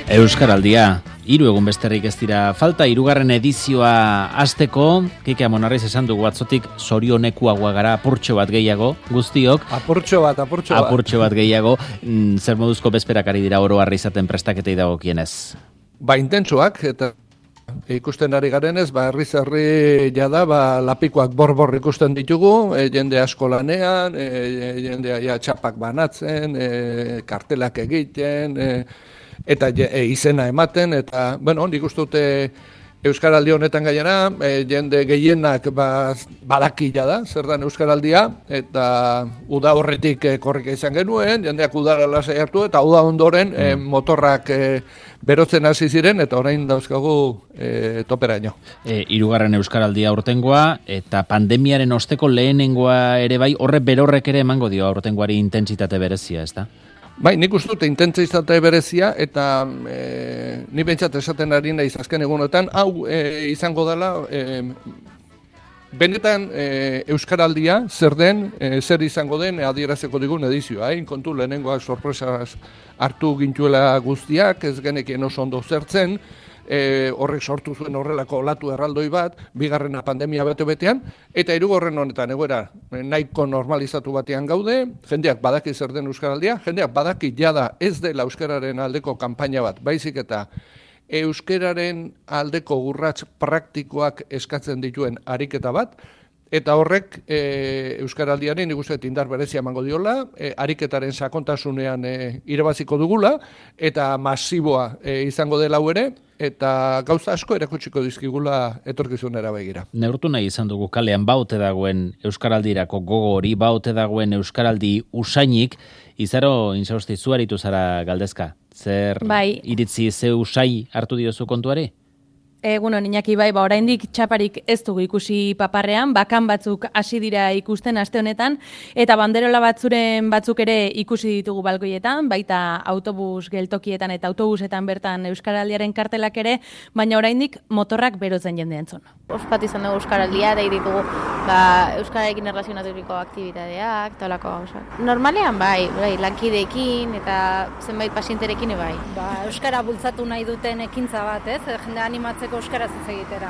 Euskaraldia, 3 egun besterrik ez dira falta, 3. edizioa hasteko. Kike Amonarriz esan dugu atzotik zorionekuagoa gara, apurtxo bat gehiago, guztiok. Apurtxo bat gehiago. Zer moduzko bezperak ari dira oro harri izaten prestaketei dagokienez? Intentsuak, eta ikusten ari garenez, herri jada, lapikoak borbor ikusten ditugu, jende asko lanean, jendea txapak banatzen, kartelak egiten, eta izena ematen, eta, nik uste dute Euskaraldi honetan gainera, jende gehienak badakila da, zer dan Euskaraldia, eta uda horretik korrika izan genuen, jendeak udara lasai hartu, eta uda ondoren motorrak berotzen hasi ziren, eta orain dauzkagu toperaino. 3. Euskaraldia aurtengoa, eta pandemiaren osteko lehenengoa ere bai, horre berorrek ere emango dio aurtengoari intentsitate berezia, ez da? Nik uste dute intentsitate berezia, eta ni bentsat esaten ari naiz azken egunotan, hau izango dela, benetan Euskaraldia zer den, zer izango den adierazeko digun edizioa. Kontu lehenengoak sorpresaz hartu gintuela guztiak, ez genekien oso ondo zertzen, horrek sortu zuen horrelako olatu erraldoi bat, 2. pandemia bete-betean, eta 3. honetan egoera nahiko normalizatu batean gaude, jendeak badaki zer den Euskaraldia, jendeak badaki jada ez dela euskararen aldeko kanpaina bat, baizik eta euskararen aldeko urrats praktikoak eskatzen dituen ariketa bat, eta horrek Euskaraldiaren nik uste indar berezia emango diola, ariketaren sakontasunean irabaziko dugula, eta masiboa izango dela hau ere, eta gauza asko erakutsiko dizkigula etorkizunera begira. Neurtu nahi izan dugu kalean baote dagoen Euskaraldirako gogo hori, baote dagoen Euskaraldi usainik, izaro inzausti zuaritu zara galdezka. Zer iritzi ze usai hartu diozu kontuari? Egunon, Iñaki, oraindik txaparik ez dugu ikusi paparrean, bakan batzuk hasi dira ikusten aste honetan, eta banderola batzuk ere ikusi ditugu balkoietan, baita autobus geltokietan eta autobusetan bertan Euskaraldiaren kartelak ere, baina oraindik motorrak berotzen jende entzun. Ospat izan dugu Euskaraldia, da ditugu Euskararekin erlazionaturiko aktibitateak, talako gauzak. Normalean lankideekin eta zenbait pasienterekin bai. Euskara bultzatu nahi duten ekintza bat, ez? Jende animatzeko euskaraz hitz egitera.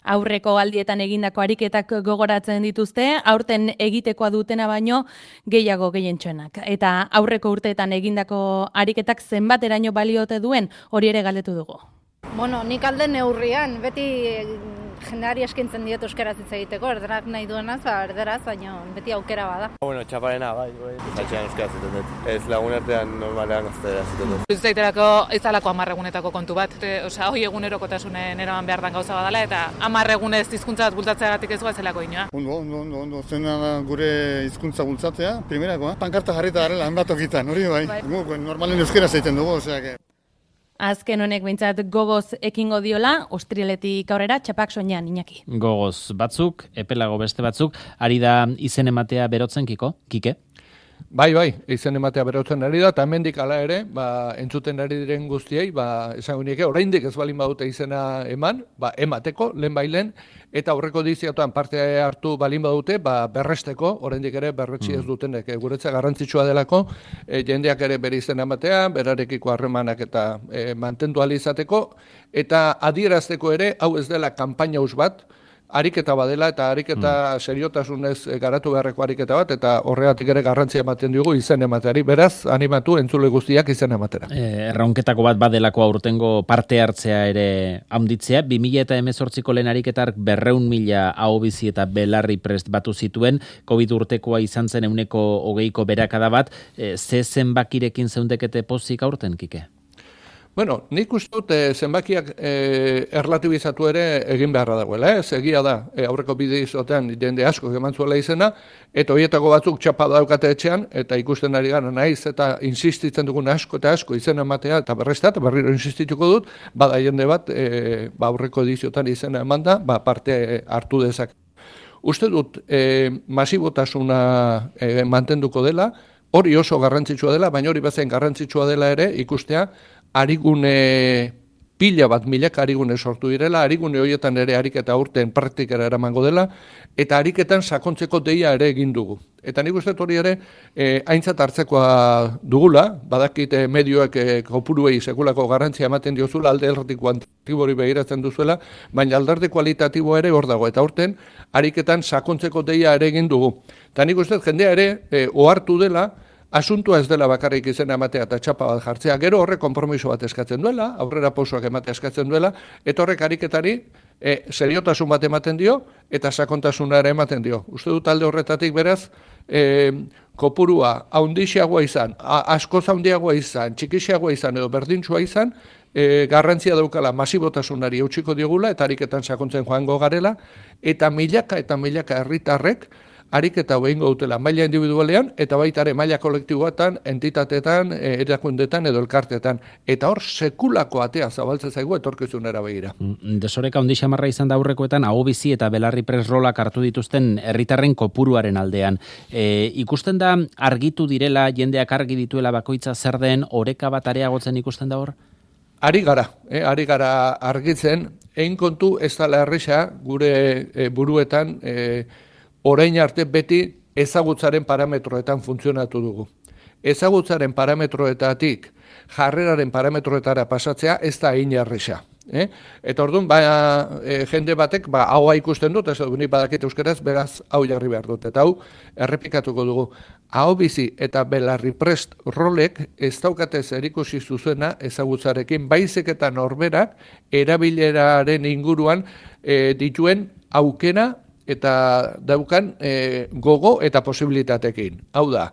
Aurreko aldietan egindako ariketak gogoratzen dituzte, aurten egitekoa dutena baino gehiago gehientsuenak. Eta aurreko urteetan egindako ariketak zenbateraino baliote duen, hori ere galdetu dugu. Nik alde neurrian, beti jendeari eskintzen diet euskaraz hitz egiteko, erderak nahi duenaz, erderaz, baina beti aukera bada. Txaparena, zatxean euskaraz ziten dut. Ez lagun artean normalean gaztera ziten dut. Ez daiterako ez dalako 10 egunetako kontu bat. Hoi egunerokotasunen eraman behar dan gauza badala, eta 10 egunez hizkuntza bat bultzatzeagatik ez zelako inoa. Ondo. Zena da gure hizkuntza bultzatzea, primerakoa. Pankarta jarrita garela, hanbatokitan, hori bai. Normalen euskaraz egiten dugu, oseak. Azken honek behintzat gogoz ekingo diola, ostrieletik aurrera txapak soinean, Iñaki. Gogoz batzuk, epelago beste batzuk, ari da izen ematea berotzen, Kike? Bai, izen ematea berotzen ari da, eta hemendik hala ere, entzuten ari diren guztiei, esango nieke, oraindik ez balin badute izena eman, emateko, lehen, eta aurreko edizioetan parte hartu balin badute, berresteko, oraindik ere berretsi ez dutenek, guretzat garrantzitsua delako, jendeak ere bere izena ematea, berarekiko harremanak eta mantendu ahal izateko, eta adierazteko ere, hau ez dela kanpaina us bat, ariketa badela eta ariketa seriotasunez garatu beharreko ariketa bat, eta horregatik ere garrantzia ematen dugu izen emateari, beraz, animatu entzule guztiak izen ematera. Erronketako bat badelako aurtengo parte hartzea ere handitzea, 2018ko lehen ariketark 200.000 ahobizi eta belarri prest batu zituen, COVID urtekoa izan zen 20% berakada bat, ze zenbakirekin zeundekete pozik aurten, Kike? Nik uste dut zenbakiak erlatibizatu ere egin beharra dagoela. Egia da, aurreko bideizotean jende asko eman zuela izena, eta horietako batzuk txapa daukate etxean, eta ikusten ari gara naiz, eta insistitzen dugun asko eta asko izena ematea, eta berreztat, berriro insistituko dut, bada jende bat, aurreko ediziotan izena eman da, parte hartu dezak. Uste dut, masibotasuna mantenduko dela, hori oso garrantzitsua dela, baina hori bezain garrantzitsua dela ere ikustea, arigune pila bat milaka arigune sortu direla, arigune horietan ere ariketa urten praktikara eramango dela, eta ariketan sakontzeko deia ere egin dugu. Eta nik uste hori ere aintzat hartzekoa dugula, badakit medioek kopuruei sekulako garrantzia ematen diozula, alde erdi kuantitibori begiratzen duzuela, baina alderdi kualitatibo ere hor dago, eta urten ariketan sakontzeko deia ere egin dugu. Eta nik uste jendea ere ohartu dela, asuntua ez dela bakarrik izena ematea eta txapa bat jartzea, gero horrek konpromiso bat eskatzen duela, aurrera pausoak ematea eskatzen duela, eta horrek ariketari seriotasun bat ematen dio, eta sakontasuna ere ematen dio. Uste dut alde horretatik beraz, kopurua haundixiagoa izan, askoz haundiagoa izan, txikixiagoa izan edo berdintsua izan, garrantzia daukala masibotasunari eutxiko diogula, eta ariketan sakontzen joango garela, eta milaka herritarrek, ariketa behingo dutela maila individualean, eta baita ere maila kolektiboetan, entitateetan, erakundetan edo elkartetan. Eta hor sekulako atea zabaltzen zaigu etorkizunera begira. Desoreka handi xamarra izan da aurrekoetan, aho bizi eta belarri prest rolak hartu dituzten herritarren kopuruaren aldean. Ikusten da argitu direla, jendeak argi dituela bakoitza zer den, oreka bat areagotzen ikusten da hor? Ari gara argitzen, egin kontu ez dela erresa gure buruetan, orain arte beti ezagutzaren parametroetan funtzionatu dugu. Ezagutzaren parametroetatik jarreraren parametroetara pasatzea ez da egin erresa. Eta orduan, jende batek, haua ikusten dut, ez dut, badakit euskaraz, beraz, hau jarri behar dut. Eta hau, errepikatuko dugu, aho bizi eta belarri prest rolek ez daukate zerikusi zuzena ezagutzarekin, baizik eta norberak erabileraren inguruan dituen aukera eta daukan gogo eta posibilitatekin. Hau da,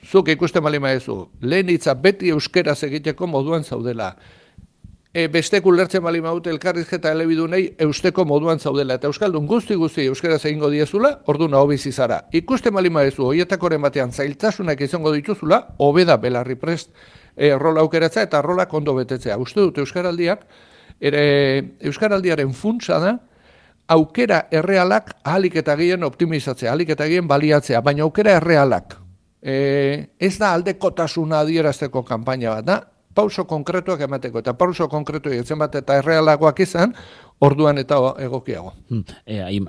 zuk ikusten bali maezu, lehen hitza beti euskeraz egiteko moduan zaudela. Bestek ulertzen bali maute elkarrizketa elebidunei eusteko moduan zaudela. Eta euskaldun guzti euskeraz egingo diezula, orduan hau bizi zara. Ikusten bali maezu, hoietakoren batean zailtasunak izango dituzula, hobeda belarri prest rola aukeratza eta rola ondo betetzea. Uste dut euskaraldiaren funtsa da, aukera errealak ahalik eta gehien optimizatzea, ahalik eta gehien baliatzea, baina aukera errealak. Ez da aldekotasuna adierazteko kanpaina bat, da pauso konkretuak emateko, eta pauso konkretuak etzen bat eta errealagoak izan, orduan eta egokiago.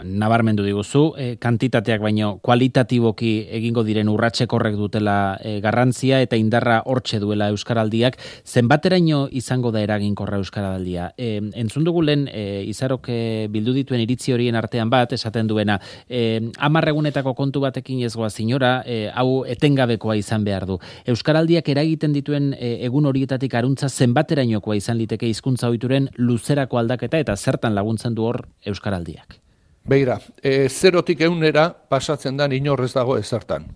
Nabarmendu diguzu, kantitateak baino kualitatiboki egingo diren urratsekorrek dutela garrantzia eta indarra hortxe duela euskaraldiak. Zenbateraino izango da eraginkorra euskaraldia? Entzun dugu lehen Izarok bildu dituen iritzi horien artean bat, esaten duena, 10 egunetako kontu batekin ez goaz inora, hau etengabekoa izan behar du. Euskaraldiak eragiten dituen egun horietatik aruntza zenbaterainokoa izan liteke hizkuntza ohituren luzerako aldaketa eta zer laguntzen du hor euskaraldiak? Begira, 0tik 100 pasatzen da inorrez dago ezertan.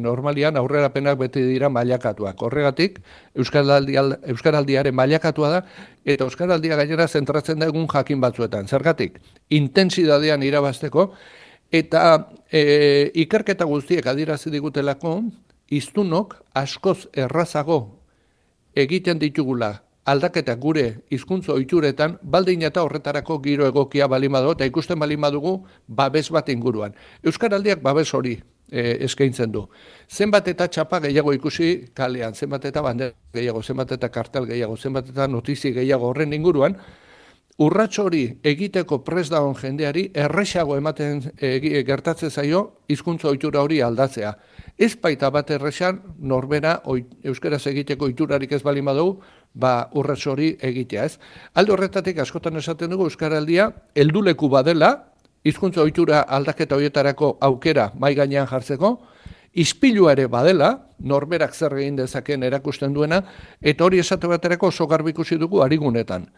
Normalian aurrerapenak beti dira mailakatuak. Horregatik, euskaraldiaren mailakatua da, eta euskaraldia gainera zentratzen da egun jakin batzuetan. Zergatik, intentsidadean irabazteko, eta ikerketa guztiek adierazi digutelako, hiztunok askoz errazago egiten ditugula aldaketak gure hizkuntza ohituretan, baldin eta horretarako giro egokia balin badu, eta ikusten balin badugu babes bat inguruan. Euskaraldiak babes hori eskaintzen du. Zenbat eta txapa gehiago ikusi kalean, zenbat eta bandera gehiago, zenbat eta kartel gehiago, zenbat eta notizi gehiago horren inguruan, urrats hori egiteko prest dagoen jendeari erresago ematen gertatzen zaio hizkuntza ohitura hori aldatzea. Ez baita bat erresan norbera euskaraz egiteko ohiturarik ez balin badugu, urrats hori egitea, ez? Alde horretatik askotan esaten dugu euskaraldia helduleku badela, hizkuntza ohitura aldaketa horietarako aukera mahai gainean jartzeko, ispilua ere badela, norberak zer egin dezakeen erakusten duena, eta hori esate baterako oso garbi ikusi dugu arigunetan.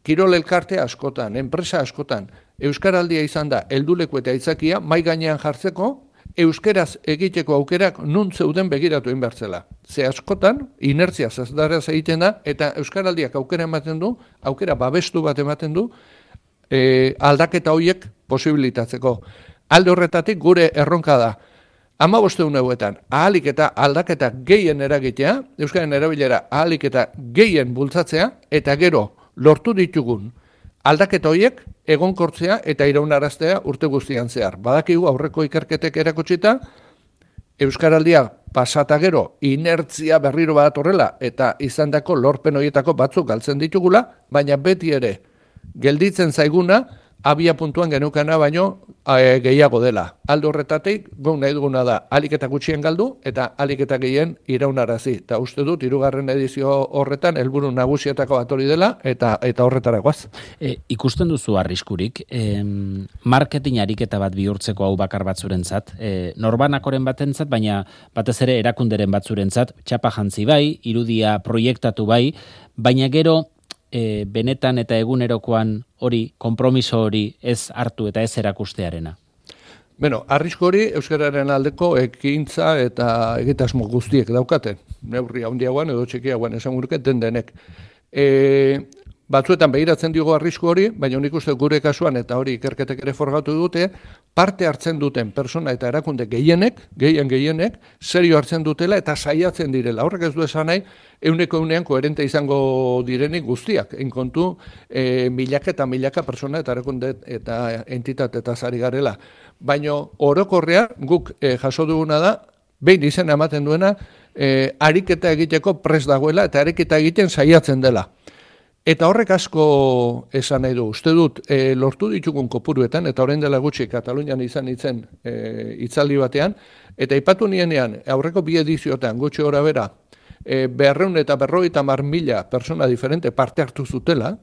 Kirol elkarte askotan, enpresa askotan, euskaraldia izan da helduleku eta aitzakia mahai gainean jartzeko, euskeraz egiteko aukerak nun zeuden begiratu egin bertzela. Ze askotan, inertzia zazdaraz egiten da, eta euskaraldiak aukera ematen du, aukera babestu bat ematen du, aldaketa horiek posibilitatzeko. Alde horretatik gure erronka da, 15 egunetan ahalik eta aldaketa gehien eragitea, euskaren erabilera ahalik eta gehien bultzatzea, eta gero lortu ditugun aldaketa horiek egonkortzea eta iraunaraztea urte guztian zehar. Badakigu aurreko ikerketek erakutsita, euskaraldia pasata gero inertzia berriro bat horrela eta izandako lorpen horietako batzuk galtzen ditugula, baina beti ere gelditzen zaiguna abia puntuan genukana baino gehiago dela. Alde horretatik, guk nahi duguna da alik eta gutxien galdu eta alik eta gehien iraunarazi. Eta uste dut, 3. edizio horretan helburu nagusietako bat hori dela eta horretara goaz. Ikusten duzu arriskurik, marketing ariketa bat bihurtzeko hau bakar batzurentzat, norbanakoren batentzat, baina batez ere erakunderen batzurentzat, txapa jantzi bai, irudia proiektatu bai, baina gero benetan eta egunerokoan hori, konpromiso hori ez hartu eta ez erakustearena? Bueno, arrisku hori euskararen aldeko ekintza eta egitasmo guztiek daukaten. Neurri handiagoan edo txikiagoan esan guruke denek. Batzuetan begiratzen diogo arrisku hori, baina nik uste gure kasuan eta hori ikerketek ere forgatu dute, parte hartzen duten persona eta erakunde gehienek, serio hartzen dutela eta saiatzen direla. Horrek ez du esan nahi, euneko koherente izango direnik guztiak. Enkontu milaka eta milaka persona eta erakunde eta entitate eta zari garela. Baina orokorrea guk jaso duguna da, behin izena ematen duena, ariketa egiteko prest dagoela eta ariketa egiten saiatzen dela. Eta horrek asko esan nahi du. Uste dut, lortu ditugun kopuruetan, eta orain dela gutxi Katalunian izan itzen hitzaldi batean, eta aipatu nienean, aurreko 2 edizioetan gutxi gora bera, 250.000 persona diferente parte hartu zutela,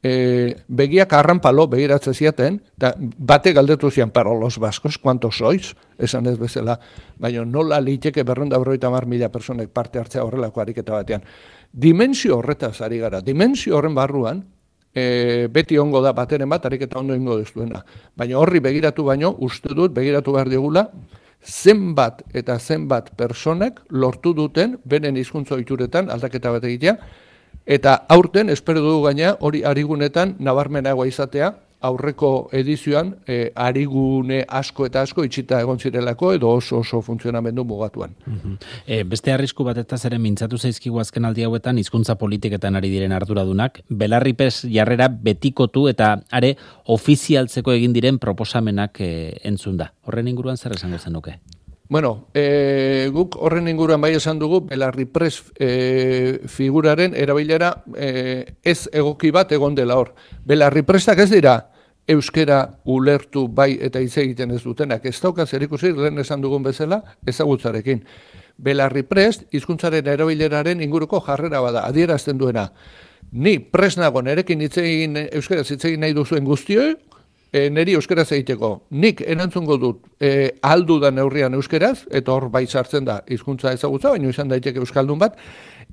begiak arranpalo begiratzen ziaten, eta bate galdetu zian, pero los vascos, ¿cuántos sois? Esan ez bezala, baina nola liteke 250.000 personek parte hartzea horrelako ariketa batean. Dimensio horretaz ari gara, dimensio horren barruan, beti ongo da bateren bat, ariketa ondo ingo dezuena. Baina horri begiratu baino, uste dut, begiratu behar digula, zenbat eta zenbat personek lortu duten, beren hizkuntza ohituretan aldaketa bat egitea, eta aurten, espero dugu gaina, hori arigunetan nabarmenagoa izatea, aurreko edizioan arigune asko eta asko itxita egon zirelako edo oso funtzionamendu mugatuan. Beste arrisku batetaz ere mintzatu zaizkigu azken aldi hauetan hizkuntza politiketan ari diren arduradunak, Belarripes jarrera betikotu eta are ofizialtzeko egin diren proposamenak entzun da. Horren inguruan zer esango zenuke? Bueno, guk horren inguruan bai esan dugu, Belarripres figuraren erabilera ez egoki bat egon dela hor. Belarripresak ez dira euskera ulertu bai eta hitz egiten ez dutenak. Ez dauka zerikusi lehen esan dugun bezala ezagutzarekin. Belarriprest hizkuntzaren erabileraren inguruko jarrera bada, adierazten duena. Ni prest nago nerekin euskaraz hitz egin nahi duzuen guztioi, neri euskaraz egiteko. Nik erantzungo dut aldudan neurrian euskaraz, eta hor bai sartzen da hizkuntza ezagutza, baina izan daiteke euskaldun bat,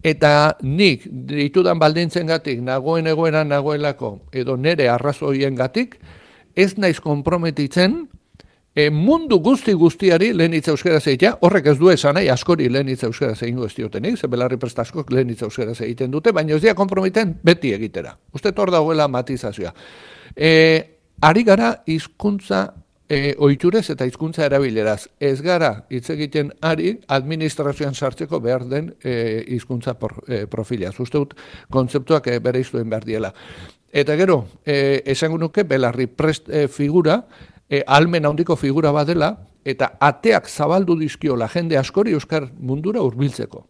eta nik ditudan baldintzengatik nagoen egoeran nagoelako edo nere arrazoiengatik ez naiz konprometitzen mundu guztiari lehen hitz euskaraz egitea, horrek ez du esan nahi askori lehen hitz euskaraz egingo ez diotenik, ze Belarripres askok lehen hitz euskaraz egiten dute, baina ez dira konprometen beti egitera. Uste hor dagoela matizazioa. Ari gara hizkuntza ohiturez eta hizkuntza erabileraz. Ez gara hitz egiten ari administrazioan sartzeko behar den hizkuntza profila. Uste dut kontzeptuak bereiztuen behar diela. Eta gero, esango nuke Belarripres figura, almen handiko figura badela, eta ateak zabaldu dizkiola jende askori euskar mundura hurbiltzeko.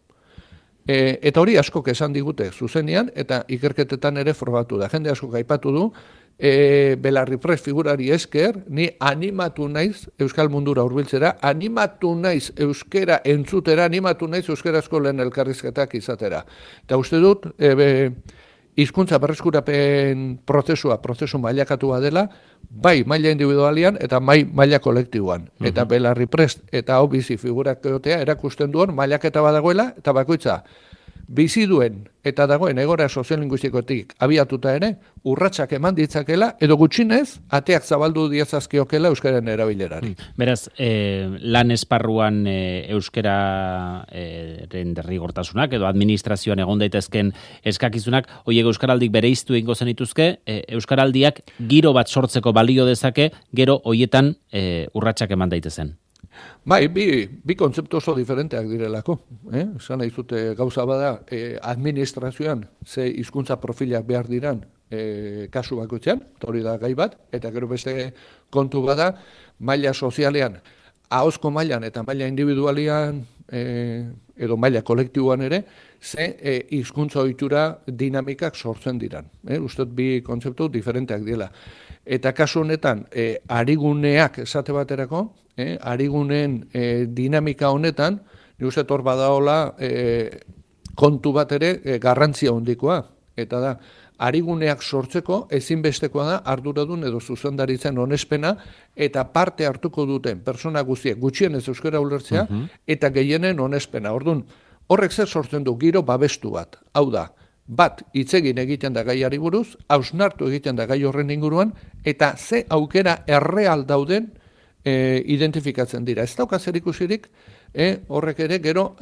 Eta hori askok esan digute zuzenean, eta ikerketetan ere frogatu da. Jende askok aipatu du, Belarripres figurari esker, ni animatu naiz euskal mundura hurbiltzera, animatu naiz euskera entzutera, animatu naiz euskarazko lehen elkarrizketak izatera. Eta uste dut, hizkuntza berreskurapen prozesu mailakatua dela, bai maila individualian eta maila kolektiboan. Eta Belarripres eta hau bizi figurak egotea erakusten duen mailaketa badagoela, eta bakoitza bizi duen eta dagoen egora soziolinguistikotik abiatuta ere, urratsak eman ditzakela, edo gutxinez, ateak zabaldu diezazkiokela euskaren erabilerari. Beraz, lan esparruan euskararen derrigortasunak, edo administrazioan egon daitezken eskakizunak, hoiek euskaraldik bereiztu egingo zenituzke, euskaraldiak giro bat sortzeko balio dezake, gero hoietan urratsak eman daitezen. Bai, bi kontzeptu oso diferenteak direlako. Esan nahi zute gauza bada, administrazioan ze hizkuntza profilak behar diran kasu bakoitzean, hori da gai bat, eta gero beste kontu bada, maila sozialean, ahozko mailan eta maila individualian edo maila kolektiboan ere, ze hizkuntza ohitura dinamikak sortzen diran. Uste bi kontzeptu diferenteak dira. Eta kasu honetan, ariguneak esate baterako, ariguneen dinamika honetan, ni uste hor badaola kontu bat ere garrantzia hondikoa. Eta da, ariguneak sortzeko ezinbestekoa da arduradun edo zuzendaritzen onespena eta parte hartuko duten persona guztiek gutxienez euskara ulertzea eta gehienen onespena. Ordun, horrek zer sortzen du giro babestu bat. Hau da, bat hitz egiten da gaiari buruz, hausnartu egiten da gai horren inguruan eta ze aukera erreal dauden identifikatzen dira. Ez dauka zer ikusirik, horrek ere gero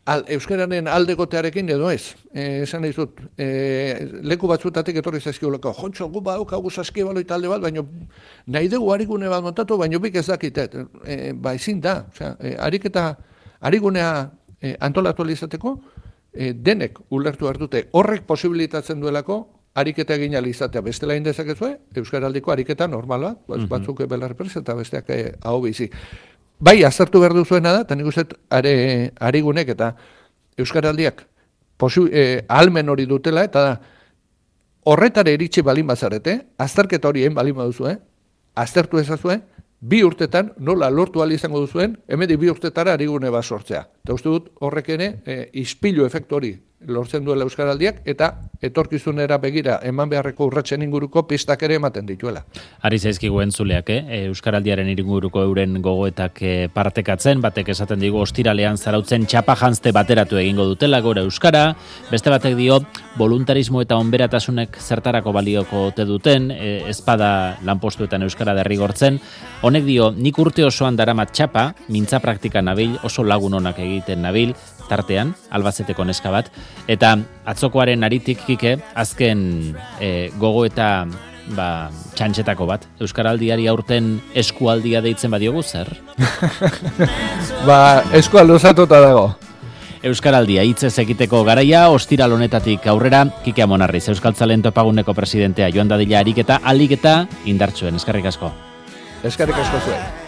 euskararen aldegotearekin edo ez. Esan dizut, leku batzutatik etorri zaizkiolako, jontxo, gu badaukagu saskibalo talde bat, baina nahi dugu arigune bat montatu, baina bik ez dakitet. Ezin da, arigunea antolatu izateko, denek ulertu hartute horrek posibilitatzen duelako, ariketa egin izatea. Bestela indezakezue, euskaraldiko ariketa normal bat, batzuk belarrepres eta besteak hau bizi. Bai, aztertu behar duzuena da, eta nik uste arigunek eta euskaraldiak ahalmen hori dutela, eta da, horretare iritsi balin bazarete, azterketa horien balin baduzue, aztertu ezazue, 2 urtetan nola lortu ahal izango duzuen, hemedik 2 urtetara arigune bat sortzea. Eta uste dut horrek ere ispilu efektu hori lortzen duela euskaraldiak eta etorkizunera begira eman beharreko urratsen inguruko pistak ere ematen dituela. Ari zaizkigu entzuleak, euskaraldiaren inguruko euren gogoetak partekatzen, batek esaten digu ostiralean zarautzen txapa janzte bateratu egingo dutela gora euskara, beste batek dio voluntarismo eta onberatasunek zertarako balioko ote duten, ezpada lanpostuetan euskara derrigortzen. Honek dio, nik urte osoan daramat txapa, mintza praktika nabil, oso lagun onak egiten nabil, tartean, Albazeteko neska bat, eta atzokoaren aritik kike, azken gogo eta txantxetako bat. Euskaraldiari aurten eskualdia deitzen badiogu zer? Eskual luzatuta dago. Euskaraldia hitzez egiteko garaia, ostiral honetatik aurrera, Kike Amonarriz, Euskaltzaleen Topaguneko presidentea, joan dadila ariketa, alik eta indartsuen. Eskerrik asko. Eskerrik asko zuen.